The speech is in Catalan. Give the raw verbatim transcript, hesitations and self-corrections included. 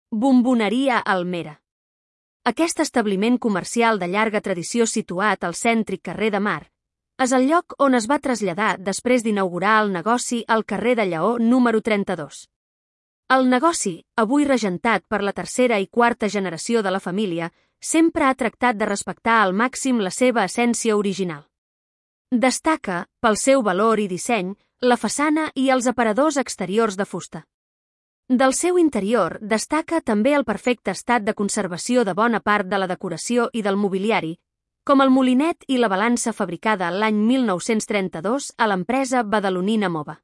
Bomboneria Almera. Aquest establiment comercial de llarga tradició situat al cèntric carrer de Mar és el lloc on es va traslladar després d'inaugurar el negoci al carrer de Lleó número trenta-dos. El negoci, avui regentat per la tercera i quarta generació de la família, sempre ha tractat de respectar al màxim la seva essència original. Destaca, pel seu valor i disseny, la façana i els aparadors exteriors de fusta. Del seu interior destaca també el perfecte estat de conservació de bona part de la decoració i del mobiliari, com el molinet i la balança fabricada l'any mil nou-cents trenta-dos a l'empresa badalonina Mova.